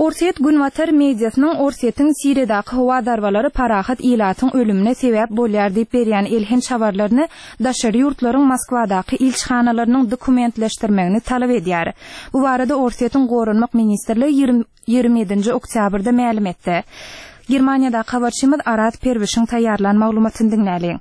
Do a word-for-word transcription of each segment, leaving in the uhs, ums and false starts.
Orsýet günbatar mediasynyň Orsýetiň Siriýadaky howa zarbalary parahat ilatyň ölümine sebäp bolýar diýip berýän elhenç habarlaryny daşary ýurtlaryň Moskwadaky ilçihanalarynyň dokumentleşdirmegini talap edýär. Bu barada Orsýetiň Goranmak ministrligi ýigrimi ýedinji oktýabrda mälim etdi. Germaniýadaky habarçymyz Araz Perwişiň taýýarlan maglumatyny diňläliň.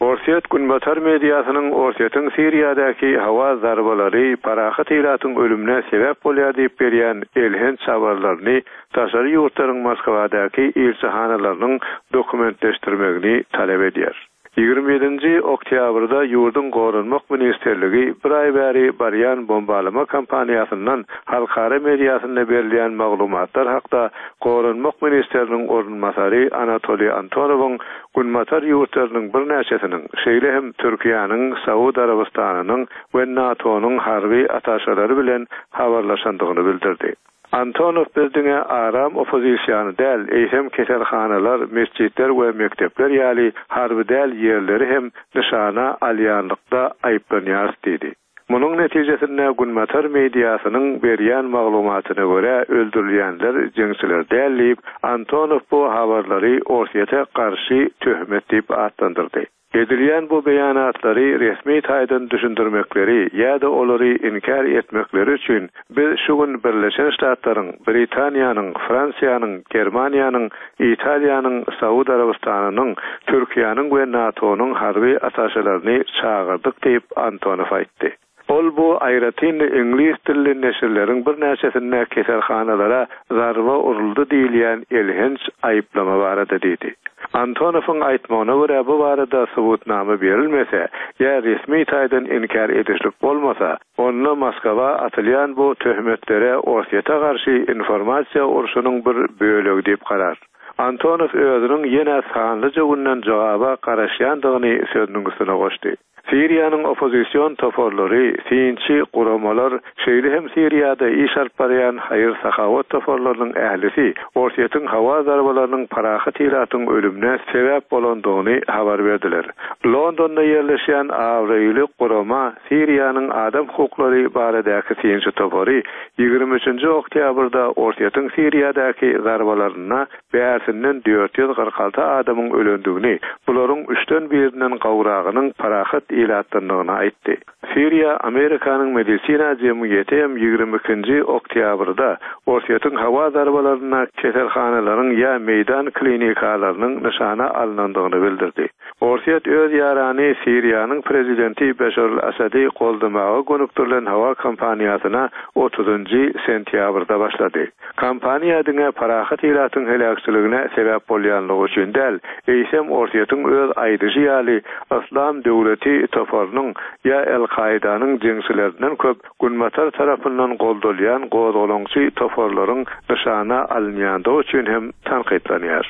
Orsýet günbatar mediasynyň Orsýetiň Siriýadaky howa zarbalary parahat ilatyň ölümine sebäp bolýar diýip berýän elhenç habarlaryny daşary ýurtlaryň Moskwadaky ilçihanalarynyň dokumentleşdirmegini talap edýär. Ýigrimi ýedinji oktýabrda ýurduň Goranmak ministrligi bir aý bäri barýan bombalama kampaniýasyndan halkara mediasynda berilýän maglumatlar hakda Goranmak ministriniň orunbasary Anatoliý Antonowyň Günbatar ýurtlarynyň birnäçesiniň, şeýle hem Türkiýäniň, Saud Arabystanynyň we NATO-nyň harby attaşelary bilen habarlaşandygyny bildirdi. Antonow biz diňe aram oppozisiýany däl, eýsem keselhanalar, mesjitler we mekdepler ýaly harby däl ýerleri hem nyşana alýanlykda aýyplanýarys diýdi. Munuň netijesinde Günbatar mediasynyň berýän maglumatyna görä öldürilýänler jeňçiler däl diýip, Antonow bu habarlary Orsýete garşy töhmet diýip atlandyrdy. Edilýän bu beýanatlary resmi taýdan düşündirmekleri ýa-da olary inkär etmekleri üçin biz şu gün Birleşen Ştatlaryň, Britaniýanyň, Fransiýanyň, Germaniýanyň, Italiýanyň, Saud Arabystanynyň, Türkiýäniň we NATO-nyň harby attaşelaryny çagyrdyk diýip Antonow aýtdy. Ol bu aýratyn iňlis dilli neşirleriň birnäçesinde keselhanalara zarba uruldy diýilýän elhenç aýyplama barada diýdi. Antonowyň aýtmagyna görä bu barada subutnama berilmese ýa resmi taýdan inkär edişlik bolmasa, onda Moskwa atylýan bu töhmetlere Orsýete garşy informasiýa urşunyň bir bölegi diýip garar. Antonow özüniň ýene sanlyja günden jogaba garaşýandygyny sözüniň üstüne goşdy. Siriýanyň oppozision toparlary, synçy guramalar, şeýle hem Siriýada iş alyp barýan haýyr-sahawat toparlarynyň ählisi Orsýetiň howa zarbalarynyň parahat ilatyň ölümine sebäp bolandygyny habar berdiler. Londonda ýerleşýän abraýly gurama Siriýanyň adam hukuklary baradaky synçy topary ýigrimi üçünji oktýabrda Orsýetiň Siriýadaky zarbalaryna bärsinden dört ýüz kyrk alty adamyň ölendigini, bularyň üçden birinden gowragynyň parahat ilatdandygyny aýtdy. Siriýa Amerikanyň medisina jemgyýeti hem ýigrimi ikinji oktýabrda Orsýetiň howa zarbalaryna keselhanalaryň ýa meýdan klinikalarynyň nyşana alynandygyny bildirdi. Orsýet öz ýarany Siriýanyň prezidenti Beşar al-Asady goldamaga gönükdirilen howa kampaniýasyna otuzynjy sentýabrda başlady. Kampaniýa diňe parahat ilatyň heläkçiligine sebäp bolýanlygy üçin däl, eýsem Orsýetiň öz aýdyşy ýaly Islam döwleti toparynyň ýa El-Kaidanyň jeňçilerinden köp Günbatar tarapyndan goldalýan gozgalaňçy toparlaryň nyşana alynýandygy üçin hem tankytlanýar.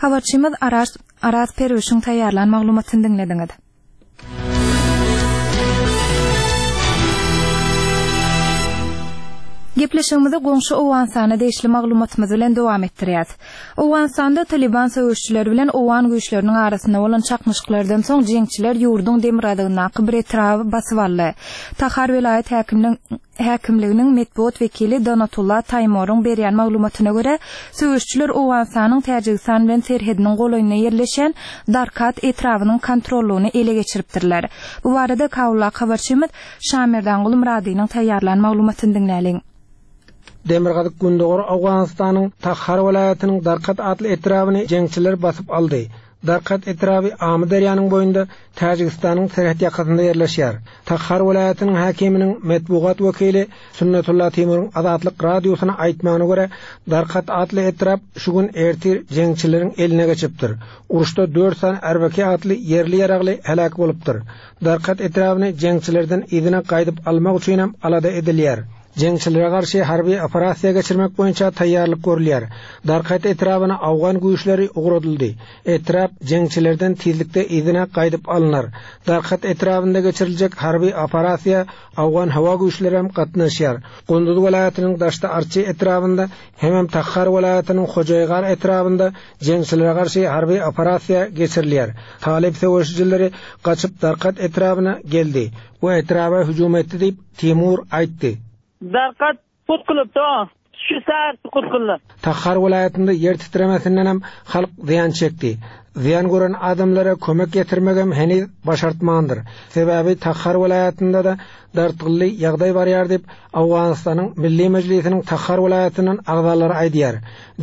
Habarçymyz Araz, Araz Perwişiň taýýarlan maglumatyny diňlediňiz. Gepleşigimizi goňşy Owganystana degişli maglumatymyz bilen dowam etdirýäs. Owganystanda Taliban söweşçileri bilen Owgan güýçleriniň arasynda bolan çaknyşyklardan soň jeňçiler ýurduň demirgazygyndaky bir etraby basyp aldy. Tahar welaýat häkiminiň häkimliginiň metbugat wekili Donatullah Taýmoryň berýän maglumatyna görä, söweşçiler Owganystanyň Täjigistan bilen serhediniň golaýynda ýerleşen Darkat etrabynyň kontrollugyny ele geçiripdirler. Bu barada Kabuldaky habarçymyz Şamerdanguly Myradynyň taýýarlan maglumatyny diňläliň. Demirgazyk Gündogar Owganystanyň Tahar welaýatynyň Darkat atly etrabyny jeňçiler basyp aldy. Darkat etraby Amyderýanyň boýunda Täjigistanyň serhet ýakasynda ýerleşýär. Tahar welaýatynyň häkiminiň metbugat wekili Sunnetullah Timuryň Azatlyk radiosyna aýtmagyna görä, Darkat atly etrap şu gün ertir jeňçileriň eline geçipdir. Uruşda dört sany Erbeki atly ýerli ýaragly heläk bolupdyr. Darkat etrabyny jeňçilerden yzyna gaýdyp almak üçin hem alada edilýär. Jeňçilere garşy harby operasiýa geçirmek boýunça taýýarlyk görülýär. Darkat etrabyna Awgan güýçleri ugradyldy. Etrap jeňçilerden tizlikde yzyna gaýdyp alynar. Darkat etrabynda geçiriljek harby operasiýa Awgan howa güýçleri hem gatnaşýar. Gunduz welaýatynyň Daşda Arçy etrabynda hemem Tahar welaýatynyň Hojaýgar etrabynda jeňçilere garşy harby operasiýa geçirilýär. Talip söweşijileri gaçyp Darkat etrabyna geldi. Bu etraba hüjüm etdi diýip Timur aýtdy. Darkat put kylypdy. Şu saat sukut kyldy. Tahar welaýatynda ýer titremesinden hem halk zyýan çekdi. Zyýan gören adamlara kömek getirmegem heniz başartmandyr. Sebäbi Tahar welaýatynda da dartgynly ýagdaý barýar diýip, Owganystanyň Milli Mejlisiniň Tahar welaýatyndan agzalary aýdýar.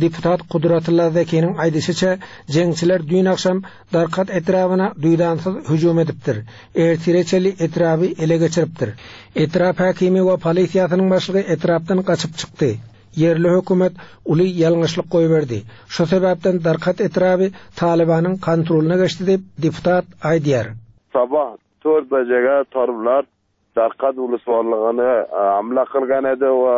Deputat Kudratullah Zekiniň aýdyşyça, jeňçiler düýn agşam Darkat etrabyna duýdansyz hüjüm edipdir. Ertire çenli etraby ele geçiripdir. Etrap hakimi we polisiýasynyň başlygy etrapdan gaçyp çykdy. Ýerli hökümet uly ýalňyşlyk goýberdi. Şu sebäpden Darkat etraby Talibanyň kontrolyna geçdi diýip deputat aýdýar. Sabah to'rt bajaga toliblar Darqat ulusvorligini hamla qilgan edi va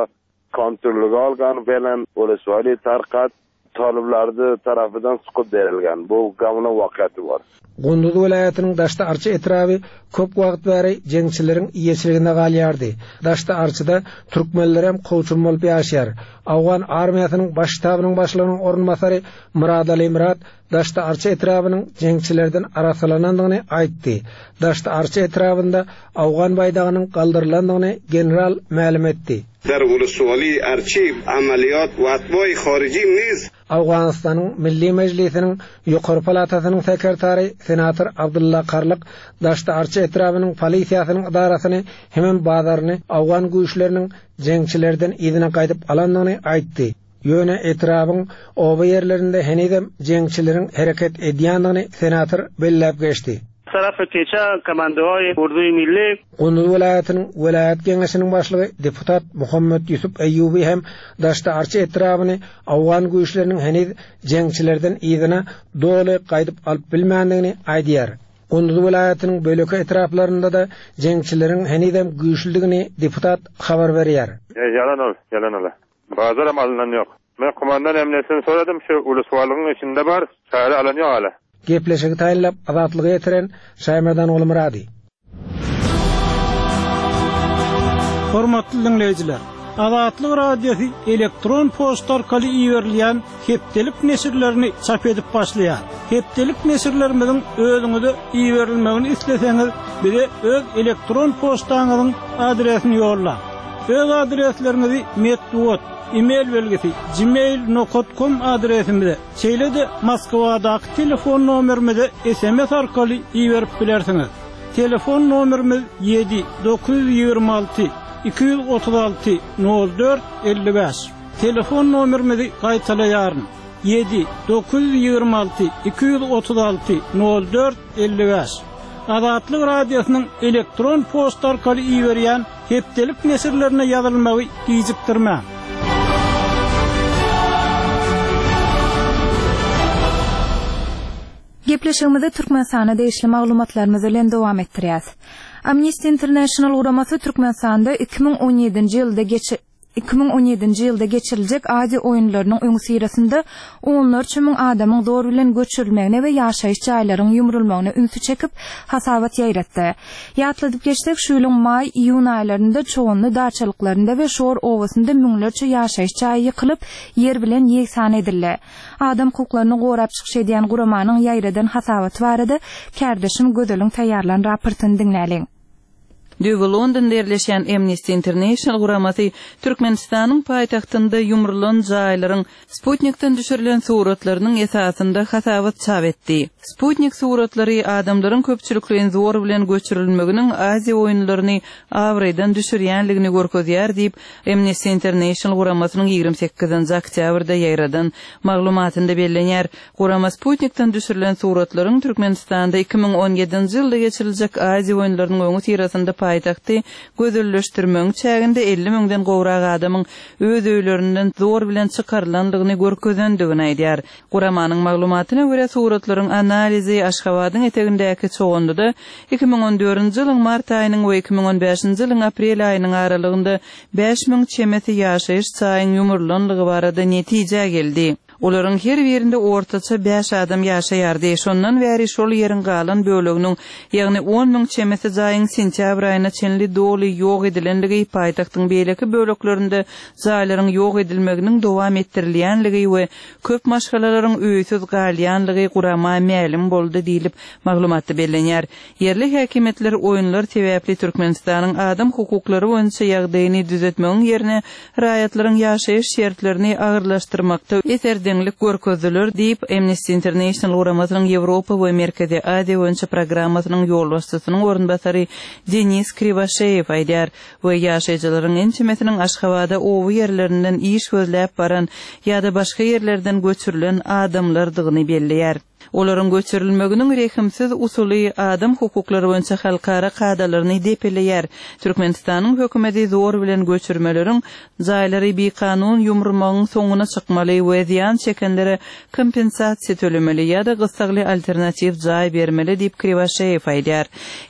kontrolga olgan bilan ulusvali Tarqat toliblarni tarafidan suqib berilgan. Bu gamla voqeati bor. Gunduz welaýatynyň Daşda Arçy etraby köp wagt bäri jeňçileriň eýeçiliginde galýardy. Daşda Arçyda türkmenler hem kowçum bolup ýaşaýar. Awgan armiýasynyň baş ştabynyň başlygynyň orunbasary Muradali Murat Daşda Arçy etrabynyň jeňçilerden arasalanandygyny aýtdy. Daşda Arçy etrabynda Awgan baýdagynyň galdyrylandygyny general mälim etdi. در ولسوالی ارچی عملیات و اتباع خارجی نیز Awganystanyň Milli Mejlisiniň Ýokary palatasynyň sekretary senator Abdullah Karlyk Daşda Arçy etrabynyň polisiýasynyň idarasyny hemem bazaryny Awgan güýçleriniň jeňçilerden yzyna gaýdyp alandygyny aýtdy. Ýöne etrabyň oba ýerlerinde henizem jeňçileriň hereket edýändigini senator belläp geçdi. Taraf keçe komandoy Urduy Milli Gunduz welaýatynyň welaýat geňeşiniň başlygy deputat Muhammed Ýusuf Eýýubi hem Daşda Arçy etrabyny Awgan güýçleriniň heniz jeňçilerden yzyna doly gaýdyp alyp bilmändigini aýdýar. Gunduz welaýatynyň böleki etraplarynda da jeňçileriň henizem güýçlüdigini deputat habar berýär. E, yalan ol, yalan ol. Bazaram alınan yok. Men kumandan emnesini soradım, şu ulusvalygyň içinde bar, çare alan yok hala. Gepleşigi taýynlap Azatlyga ýetiren Şaýmerdan Ogulmyrady. Hormatly dinleýjiler, Azatlyk Radiosy elektron poçta arkaly iberilýän hepdelik neşirlerini çap edip başlaýar. Hepdelik neşirlerimiziň özüňize iberilmegini isleseňiz, bize öz elektron poçtaňyzyň adresini ýollaň. Öz adresleriňizi metbugat, e-mail belgisi gmail nokta com adresimize, şeýle-de Moskwadaky telefon nomerimize S M S arkaly iberip bilersiňiz. Telefon nomerimiz ýedi dokuz ýüz ýigrimi alty iki ýüz otuz alty nol dört elli bäş. Telefon nomerimizi gaýtalaýaryn. Ýedi dokuz ýüz ýigrimi alty iki ýüz otuz alty nol dört elli bäş. Azatlyk Radiosynyň elektron poçta arkaly iberýän hepdelik neşirlerine ýazylmagy gijikdirmäň. Gepleşigimizi Türkmenistana degişli maglumatlarymyz bilen dowam etdirýäs. Amnesty International guramasy Türkmenistanda iki müň on ýedinji ýylda geçi iki müň on ýedinji ýylda geçiriljek Aziýa oýunlarynyň öňüsyrasynda onlarça müň adamyň zor bilen göçürilmegine we ýaşaýyş jaýlaryň ýumrulmagyna ünsi çekip hasabat ýaýratdy. Ýatladyp geçsek, şu ýylyň maý-iýun aýlarynda Çoganly daçalyklarynda we Şor obasynda müňlerçe ýaşaýyş jaýy ýykylyp, ýer bilen ýegsan edildi. Adam hukuklaryny gorap çykyş edýän guramanyň ýaýradan hasabaty barada kärdeşim Gözeliň taýýarlan raportyny diňläliň. Düýbi Londonda ýerleşen Amnesty International guramasy Türkmenistanyň paýtagtynda ýumrulan jaýlaryň Sputnikden düşürilen suratlarynyň esasynda hasabat çap etdi. Sputnik suratlary adamlaryň köpçülikleýin zor bilen göçürilmeginiň Aziýa oýunlaryny abraýdan düşürýänligini görkezýär diýip Amnesty International guramasynyň ýigrimi sekizinji oktýabrda ýaýradan maglumatynda bellenýär. Gurama Sputnikden düşürilen suratlaryň Türkmenistanda iki müň on ýedinji ýylda geçiriljek Aziýa oýunlarynyň öňi syrasynda paýtagty gözelleşdirmegiň çäginde elli müňden gowrak adamyň öz öýlerinden zor bilen çykarylandygyny görkezendigini aýdýar. Guramanyň maglumatyna görä suratlaryň analizi Aşgabadyň etegindäki Çoganlyda iki müň on dördünji ýylyň mart aýynyň we iki müň on bäşinji ýylyň aprel aýynyň aralygynda bäş müň çemesi ýaşaýyş jaýyň ýumrulandygy barada netije geldi. Olaryň her birinde ortaça bäş adam ýaşaýardy. Şondan bäri şol ýeriň galan böleginiň, ýagny on müň çemesi jaýyň sentýabr aýyna çenli doly ýok edilenligi, paýtagtyň beýleki böleklerinde jaýlaryň ýok edilmeginiň dowam etdirilýänligi we köp maşgalalaryň öýsüz galýanlygy gurama mälim boldy diýlip maglumatda bellenýär. Ýerli häkimiýetler oýunlar sebäpli Türkmenistanyň adam hukuklary boýunça ýagdaýyny düzetmegiň ýerine raýatlaryň ýaşaýyş şertlerini agyrlaşdyrmakda eserdeňlik görkezdiler diýip Amnesty International guramasynyň Ýewropa we Merkezi Aziýa boýunça programmasynyň ýolbaşçysynyň orunbasary Denis Kriwaşeýew aýdýar we ýaşaýjylaryň ençemesiniň Aşgabada oba ýerlerinden iş gözläp baran ýa-da başga ýerlerden göçürilen adamlardygyny belleýär. Olaryň göçürilmeginiň rehimsiz usuly adam hukuklary boýunça halkara kadalaryny depeleýär. Türkmenistanyň hökümeti zor bilen göçürmeleriň jaýlary bikanun ýumurmagyň soňuna çykmaly we zyýan çekenlere kompensasiýa tölemeli ýa-da gyssagly alternatiw jaý bermeli diýip Kriwaşeýew aýdýar.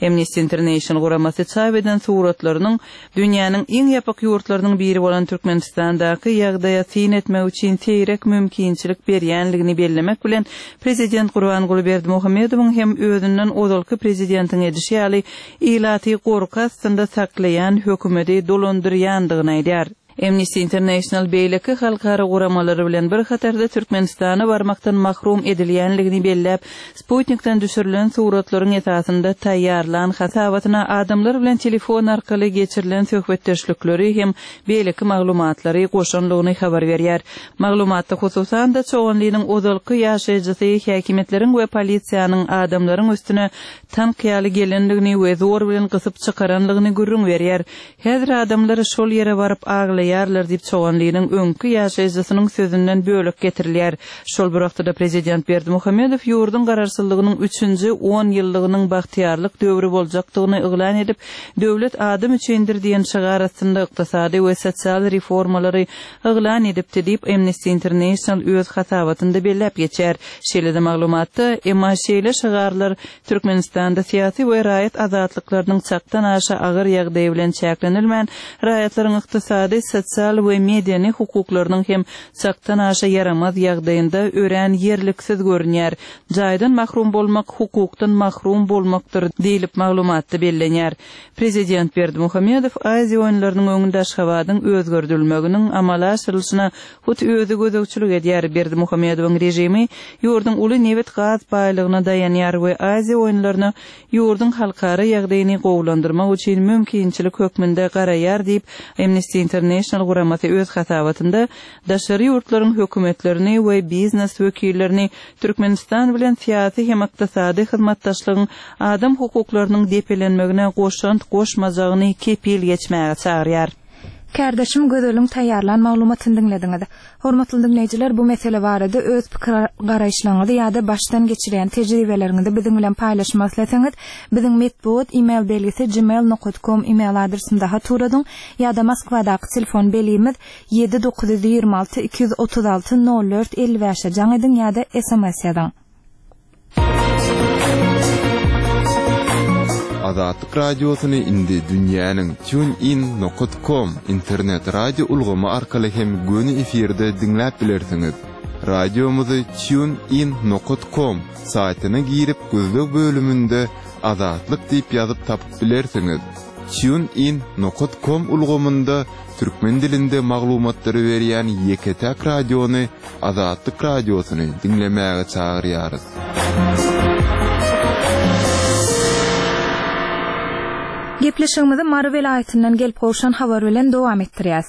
Amnesty International guramasy çap eden suratlarynyň dünýäniň iň ýapyk ýurtlarynyň biri bolan Türkmenistandaky ýagdaýa syn etmek üçin seýrek mümkinçilik berýänligini bellemek bilen Prezident Gurbanguly Berdimuhamedowyň hem özünden ozalky prezidentiň edişi ýaly ilaty gorky astynda saklaýan hökümeti dolandyrýandygyny aýdýar. Amnesty International beýleki halkara guramalary bilen bir hatarda Türkmenistana barmakdan mahrum edilýänligini belläp, Sputnikden düşürilen suratlaryň esasynda taýýarlan hasabatyna adamlar bilen telefon arkaly geçirilen söhbetdeşlikleri hem beýleki maglumatlary goşanlygyny habar berýär. Maglumatda hususan-da Çoganlynyň ozalky ýaşaýjysy häkimiýetleriň we polisiýanyň adamlaryň üstüne tank ýaly gelenligini we zor bilen gysyp çykaranlygyny gürrüň berýär. Häzir adamlar şol ýere baryp aglaýarlar diýip Çoganlynyň öňki ýaşaýjysynyň sözünden bölek getirilýär. Şol bir wagtda prezident Berdimuhamedow ýurduň garaşsyzlygynyň üçünji on ýyllygynyň bagtyýarlyk döwri boljakdygyny yglan edip, döwlet adam üçindir diýen şygar astynda ykdysady we sosial reformalary yglan edipdi diýip Amnesty International öz hasabatynda belläp geçýär. Şeýle-de maglumatda, emma şeýle şygarlar Türkmenistanda syýasy we raýat azatlyklarynyň çakdan aşa agyr ýagdaýy bilen çäklenilmän, raýatlaryň ykdysady, sosial we medeni hukuklarynyň hem çakdan aşa ýaramaz ýagdaýynda örän ýerliksiz görünýär. Jaýdan mahrum bolmak hukukdan mahrum bolmakdyr diýlip maglumatda bellenýär. Prezident Berdimuhamedow Aziýa oýunlarynyň öňünde Aşgabadyň özgerdilmeginiň amala aşyrylyşyna hut özi gözegçilik edýär. Berdimuhamedowyň režimi ýurduň uly nebit gaz baýlygyna daýanýar we Aziýa oýunlaryna ýurduň halkara ýagdaýyny gowulandyrmak üçin mümkinçilik hökmünde garaýar diýip Amnesty International guramasy öz hasabatynda daşary ýurtlaryň hökümetlerini we biznes wekillerini Türkmenistan bilen syýasy hem ykdysady hyzmatdaşlygyň adam hukuklarynyň depelenmegine goşant goşmajagyny kepil geçmäge çagyrýar. Kardeşim Gözeliň taýýarlan maglumatyny diňlediňiz. Hormatly diňleýjiler, bu mesele barada öz pikir garaýyşlaryňyzy ýa-da başdan geçiren tejribeleriňizi biziň bilen paýlaşmak isleseňiz, biziň metbugat e-mail belgisi gmail nokta com e-mail adresinde hat uradyň ýa-da Moskwadaky telefon belgimiz ýedi dokuz ýüz ýigrimi alty iki ýüz otuz alty nol dört elli bäşe jaň ediň ýa-da S M S ýazyň. Azatlyk radiosyny indi dünýäniň TuneIn nokta com internet radio ulgamy arkaly hem göni efirde diňläp bilersiňiz. Radiomyzy TuneIn nokta com saýtyna girip gözleg bölüminde Azatlyk diýip ýazyp tapyp bilersiňiz. TuneIn nokta com ulgamynda türkmen dilinde maglumatlary berýän ýeke-täk radiony Azatlyk radiosyny diňlemäge çagyrýarys. Gepleşigimizi Mary welaýatyndan gelip gowşan habar bilen dowam etdirýäs.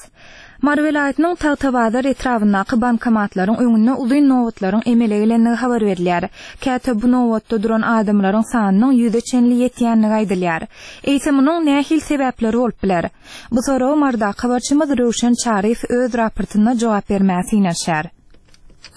Mary welaýatynyň Tagtabazar etrabyndaky bankomatlaryň öňünde uzyn nobatlaryň emele gelenligi habar berilýär. Käte bu nobatda duran adamlaryň sanynyň ýüze çenli ýetýänligi aýdylýar. Eýse munuň nähili sebäpleri bolup biler? Bu soragy Marydaky habarçymyz Röwşen Çaryýew öz raportynda jogap bermäge synanyşar.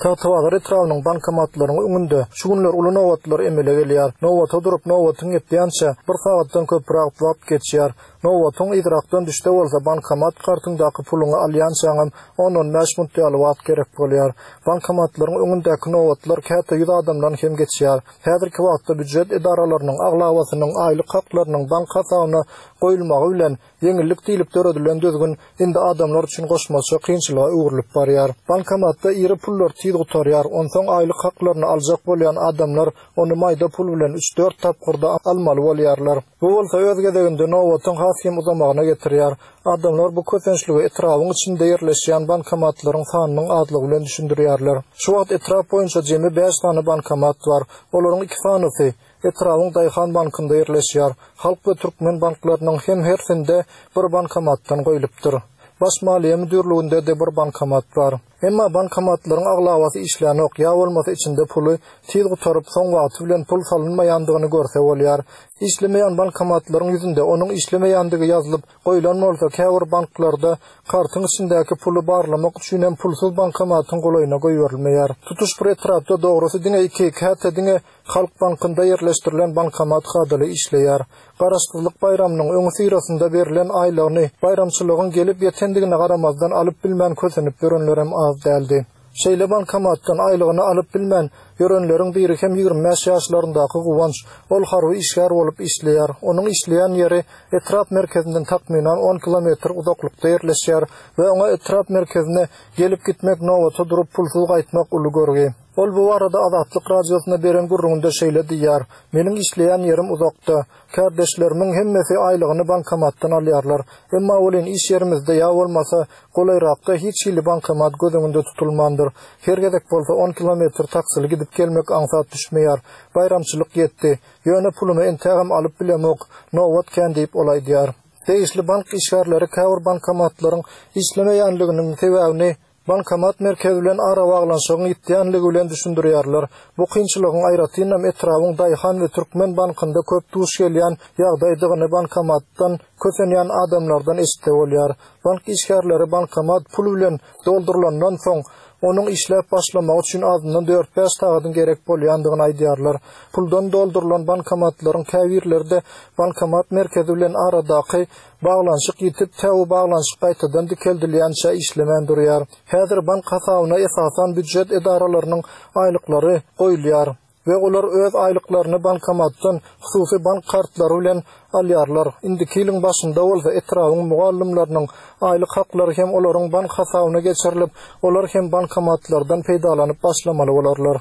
Tagtabazar etrabynyň bankomatlarynyň öňünde şu günler uly nobatlar emele gelýär. Nobata durup nobatyň ýetýänçe bir sagatdan köpräk wagt geçýär. Nobatyň yzrakdan düşse bolsa bankomat kartyňdaky puluňy alýançaňam on-on bäş minut ýaly wagt gerek bolýar. Bankomatlaryň öňündäki nobatlar käte ýüz adamdan hem geçýär. Häzirki wagtda býujet edaralarynyň aglabasynyň aýlyk haklarynyň bank hasabyna goýulmagy bilen ýeňillik diýlip döredilen düzgün indi adamlar üçin goşmaça kynçylyga öwrülip barýar. Bankomatda iri pullar tiz gutarýar. Onsoň aýlyk haklaryny aljak bolýan adamlar ony maýda pul bilen üç-dört tapgyrda almaly bolýarlar. Bu bolsa öz gezeginde nobatyň has hem uzamagyna getirýär. Adamlar bu kösençligi etrabyň içinde ýerleşýän bankomatlaryň sanynyň azlygy bilen düşündirýärler. Şu wagt etrap boýunça jemi bäş sany bankomat bar. Olaryň iki sanysy etrabyň Daýhan bankynda ýerleşýär. Halk we Türkmen banklarynyň hem hersinde bir bankomatdan goýlupdyr. Baş maliýe müdürliginde de bir bankomat bar. Emma bankomatlaryň aglabasy işlänok, ýa bolmasa içinde puly tiz gutaryp soň wagty bilen pul salynmaýandygyny görse bolýar. Işlemeýän bankomatlaryň ýüzünde onuň işlemeýändigi ýazylyp goýlan bolsa, käbir banklarda kartyň içindäki puly barlamak üçin hem pulsuz bankomatyň golaýyna goýberilmeýär. Tutuş bir etrapda dogrusy diňe iki, käte diňe Halk bankynda ýerleşdirilen bankomat kadaly işleýär. Garaşsyzlyk baýramynyň öňi syrasynda berlen aýlygyny baýramçylygyň gelip ýetendigine garamazdan alyp bilmän kösenip ýörenlerem az däldi. Şeýle bankomatdan aýlygyny alyp bilmän ýörenleriň biri hem ýigrimi bäş ýaşlaryndaky Guwanç. Ol harby işgär bolup işleýär. Onuň işleýän ýeri etrap merkezinden takmynan on kilometr uzaklykda ýerleşýär we oňa etrap merkezine gelip gitmek, nobata durup pulsuz gaýtmak uly görgi. Ol bu barada Azatlyk radiosyna beren gürrüňinde şeýle diýýär: Meniň işleýän ýerim uzakda. Kardeşlerimiň hemmesi aýlygyny bankomatdan alýarlar. Emma welin iş ýerimizde ýa bolmasa golaýrakda hiç hili bankomat göz öňünde tutulmandyr. Her gezek bolsa on kilometr taksili gidip gelmek aňsat düşmeýär. Baýramçylyk ýetdi. Ýöne pulumy entägem alyp bilemok. Nobat kän diýip ol aýdýar. Degişli bank işgärleri käbir bankomatlaryň işlemeýänliginiň sebäbini bankomat merkezi bilen arabaglanyşygyň ýitýänligi bilen düşündirýärler. Bu kynçylygyň aýratynam etrabyň Daýhan we Türkmen bankynda köp duş gelýän ýagdaýdygyny bankomatdan kösenýän adamlardan eşitse bolýar. Bank işgärleri bankomat pul bilen doldurylandan soň onuň işläp başlamagy üçin azyndan dört-bäş sagadyň gerek bolýandygyny aýdýarlar. Puldan doldurylan bankomatlaryň käbirleri bankomat merkezi bilen aradaky baglanyşyk ýitip, täwi baglanyşyk gaýtadan dikeldilýänçä işlemän durýar. Häzir bank hasabyna esasan býujet edaralarynyň aýlyklary goýulýar we olar öz aýlyklaryny bankomatdan hususy bank kartlary bilen alýarlar. Indiki ýylyň başynda bolsa etrabyň mugallymlarynyň aýlyk haklary hem olaryň bank hasabyna geçirilip, olar hem bankomatlardan peýdalanyp başlamaly bolarlar.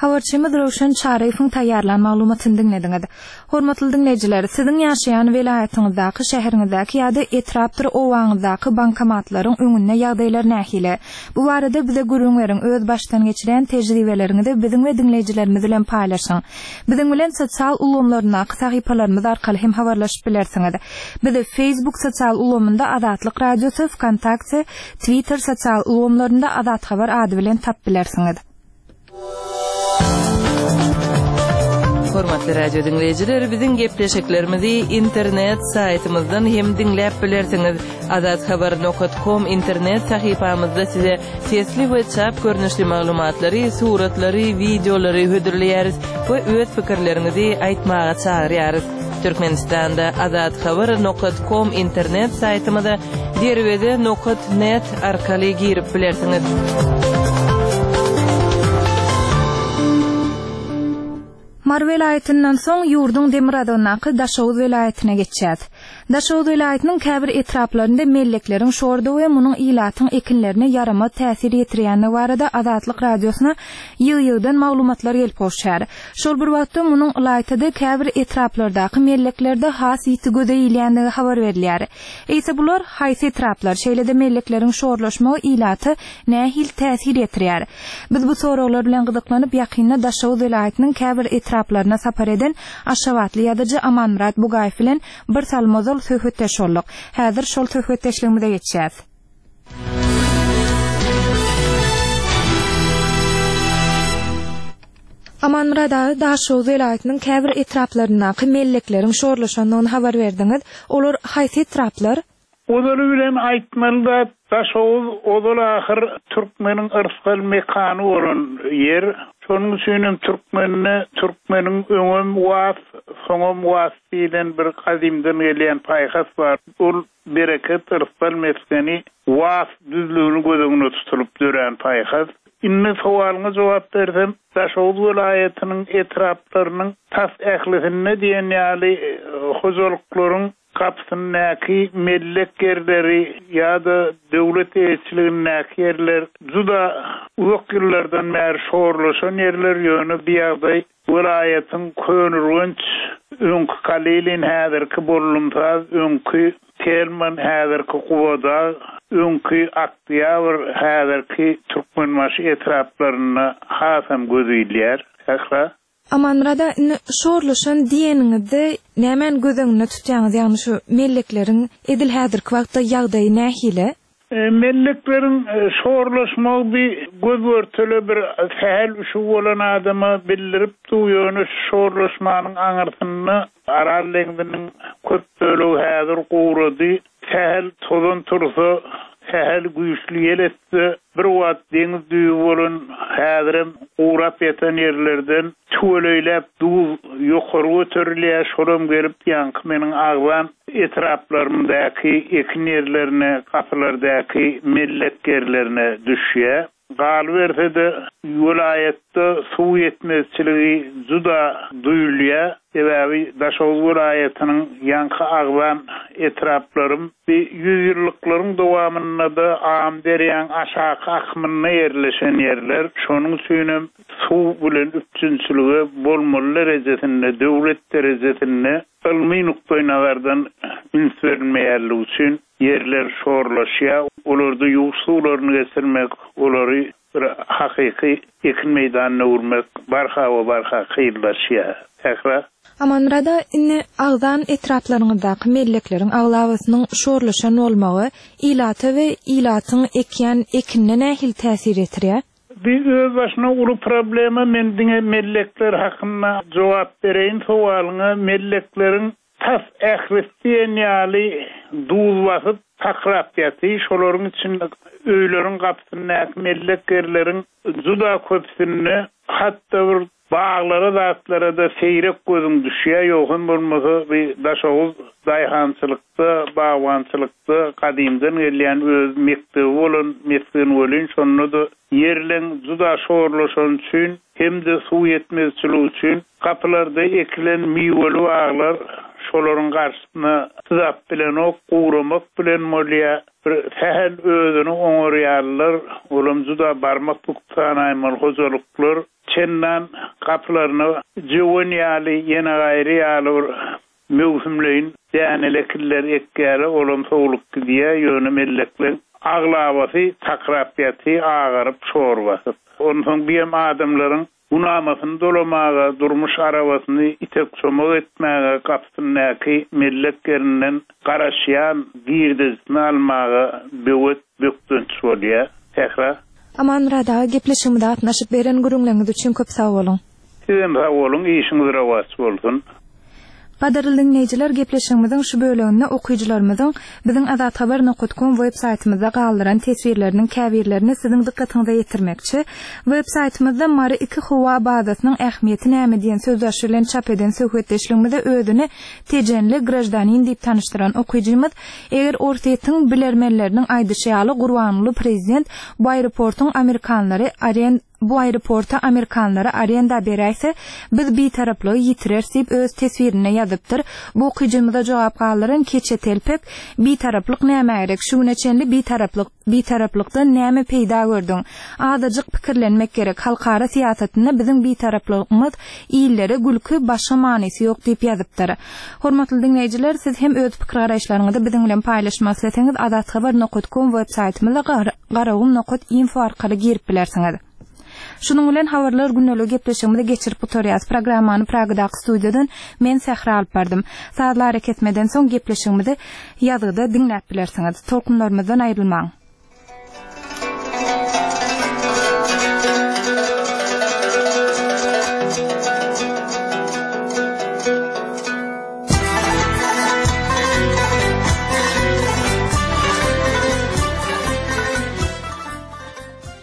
Habarçymyz Röwşen Çaryýewiň taýýarlan maglumatyny diňlediňiz. Hormatly diňleýjiler, siziň ýaşaýan welaýatyňyzdaky, şäheriňizdäki ýa-da etrapdyr owaňyzdaky bankomatlaryň öňünde ýagdaýlar nähili? Bu barada bize gürrüň beriň, öz başdan geçiren tejribeleriňizi biziň we diňleýjilerimiz bilen paýlaşyň. Biziň bilen sosial ulgamlaryndaky sahypalarymyz arkaly hem habarlaşyp bilersiňiz. Bizi Facebook sosial ulgamynda Azatlyk Radiosy, Vkontakte, Twitter sosial ulgamlarynda Azat Habar ady bilen tap bilersiňiz. Hormatly radio dinleýjiler, biziň gepleşiklerimizi internet saýtymyzdan hem diňläp bilersiňiz. Azathabar nokta com internet sahypamyzda size sesli we çap görnüşli maglumatlary, suratlary, wideolary hödürleýäris we öz pikirleriňizi aýtmaga çagyrýarys. Türkmenistanda azathabar nokta com internet saýtymyza derweze nokta net arkaly girip bilersiňiz. Mary welaýatyndan soň ýurduň demirgazygyndaky Daşoguz welaýatyna geçýär. Daşoguz welaýatynyň käbir etraplarynda mellekleriň şordy we munuň ilatyň ekinlerine ýaramaz täsir ýetirýändigi barada Azatlyk radiosyna ýygy-ýygydan maglumatlar gelip gowşýar. Şol bir wagtda munuň ylaýtada käbir etraplardaky melleklerde has ýiti göze ilýändigi habar berilýär. Eýse bular haýsy etraplar, şeýle-de mellekleriň şorlaşmagy ilata nähili täsir ýetirýär? Biz bu soraglar bilen gyzyklanyp ýakynda Daşoguz welaýatynyň käbir etraplaryna sapar eden Aşgabatly ýazyjy Amanmyrat Bugaýew bilen bir salym ozal söhbetdeş bolduk. Häzir şol söhbetdeşligimize geçýäs. Amanmyrat aga, Daşoguz welaýatynyň käbir etraplaryndaky mellekleriň şorlaşandygyny habar berdiňiz. Olar haýsy etraplar? Ozaly bilen aýtmaly da Daşoguz ozal ahyr türkmeniň yrsgal mekany bolan ýer. Şonuň üçinem türkmende türkmeniň öňem was, soňam was diýlen bir gadymdan gelýän paýhas bar. Ol bereket, yrsal mesgeni Was düzlügini göz öňüne tutulyp dörän paýhas. Indi sowalyňa jogap bersem, Daşoguz welaýatynyň etraplarynyň tas ählisinde diýen ýaly hojalyklaryň gapysyndaky mellek ýerleri ýa-da döwlet eýeçiligindäki ýerler juda uzak ýyllardan bäri şorlaşan ýerler, ýöne bu ýagdaý welaýatyň Köneürgenç, öňki Kalilin, häzirki Bollumsaz, öňki Telman, häzirki Gubadag, öňki Oktýabr, häzirki Türkmenbaşy etraplarynda hasam göz ilýär. Sähra. Amanmyrat aga, indi şorlaşan diýeniňizde nämäni göz öňünde tutýaňyz, ýagny şu mellekleriň edil häzirki wagtda ýagdaýy nähili? Mellekleriň şorlaşmagy bir göz-görtele bir sähel üşügi bolan adama bildirip dur, ýöne şu şorlaşmanyň aňyrsynda Aral deňziniň köp bölegi häzir gurady, sähel tozan tursa, sähel güýçli ýel esse, bir wagt deňiz düýbi bolan häzirem gurap ýatan ýerlerden tüweleýläp duz ýokary göterilýär, şolam gelip ýaňky meniň agzan etraplarymdaky ekin ýerlerine, gapylardaky mellek ýerlerine düşýär. Galyberse-de, welaýatda suw ýetmezçiligi juda duýulýar. Sebäbi Daşoguz welaýatynyň ýaňky agzan etraplarym bi ýüzýyllyklaryň dowamynda-da Amyderýaň aşaky akymynda ýerleşen ýerler. Şonuň üçinem suw bilen üpjünçilige bolmaly derejesinde, döwlet derejesinde ylmy nukdaýnazardan üns berilmeýänligi üçin ýerler şorlaşýar. Olarda ýuwuş suwlaryny geçirmek, olary bir hakyky ekin meýdanyna öwürmek barha we barha kynlaşýar. Sähra. Amanmyrat aga, indi agzan etraplaryňyzdaky mellekleriň aglabasynyň şorlaşan bolmagy ilata we ilatyň ekýän ekinine nähili täsir ýetirýär? Bi özbaşyna uly problema, men diňe mellekler hakynda jogap bereýin sowalyňa. Mellekleriň tas ählisi diýen ýaly duz basyp, takrap ýaty. Şolaryň içinde öýleriň gapysyndaky mellek ýerleriň juda köpüsinde hatda bir baglara zatlara-da seýrek gözüň düşýär. Ýogsam bolmasa bi Daşoguz daýhançylykda, bagbançylykda gadymdan gelýän öz mekdebi bolan mesgen welin, şonda-da ýerleň juda şorlaşany üçin hem-de suw ýetmezçiligi üçin gapylarda ekilen miweli baglar şolaryň garşysyna çydap bilenok, guramak bilen bolýar. Bir sähel özüni oňarýarlar, olam juda barmak büküp sanaýmaly hojalyklar çendan gapylaryna jöwen ýaly, ýene gaýry ýaly bir möwsümleýin däneli ekinler ekýärler, olam sowlup gidýär, ýöne mellekleň aglabasy takrap ýaty, agaryp, şor basyp. Onsoň biem adamlaryň günamasyny dolamaga, durmuş arabasyny itek-çomak etmäge, gapysyndaky mellek ýerinden garaşýan girdejisini almaga böwet, bökdenç bolýar. Sähra. Amanmyrat aga, gepleşigimize gatnaşyp beren gürrüňleriňiz üçin köp sag boluň. Sizem sag boluň, işiňiz rowaç bolsun. Gadyrly diňleýjiler, gepleşigimiziň şu böleginde okyjylarymyzyň biziň azathabar nokat kom web saýtymyzda galdyran teswirleriniň käbirlerini siziň dykgatyňyza ýetirmekçi. Web saýtymyzda Mary iki howa bazasynyň ähmiýeti näme diýen sözbaşy bilen çap eden söhbetdeşligimize özüni Tejenli graždanin diýip tanyşdyran okyjymyz, eger Orsýetiň bilermenleriniň aýdyşy ýaly Gurbanguly prezident bu aeroportyň amerikanlary aren bu aeroporty amerikanlara arenda beräýse, biz bitaraplygy ýitireris diýip öz teswirinde ýazypdyr. Bu okyjymyza jogap galdyran Keçe Telpek, Bitaraplyk nämä gerek? Şu güne çenli bitaraplyk, bitaraplykdan näme peýda gördüň? Azajyk pikirlenmek gerek. Halkara syýasatynda biziň bitaraplygymyz illere gülki, başga manysy ýok diýip ýazypdyr. Hormatly diňleýjiler, siz hem öz pikir-garaýyşlaryňyzy biziň bilen paýlaşmak isleseňiz, azathabar nokat kom web saýtymyza garagum nokat info arkaly girip bilersiňiz. Şunuň bilen habarlar gündelik gepleşigimizi geçirip gutarýarys. Programmany Pragadaky studiýadan men Sähra alyp bardym. Sazly arakesmeden soň gepleşigimizi ýazgyda diňläp bilersiňiz. Tolkunlarymyzdan aýrylmaň.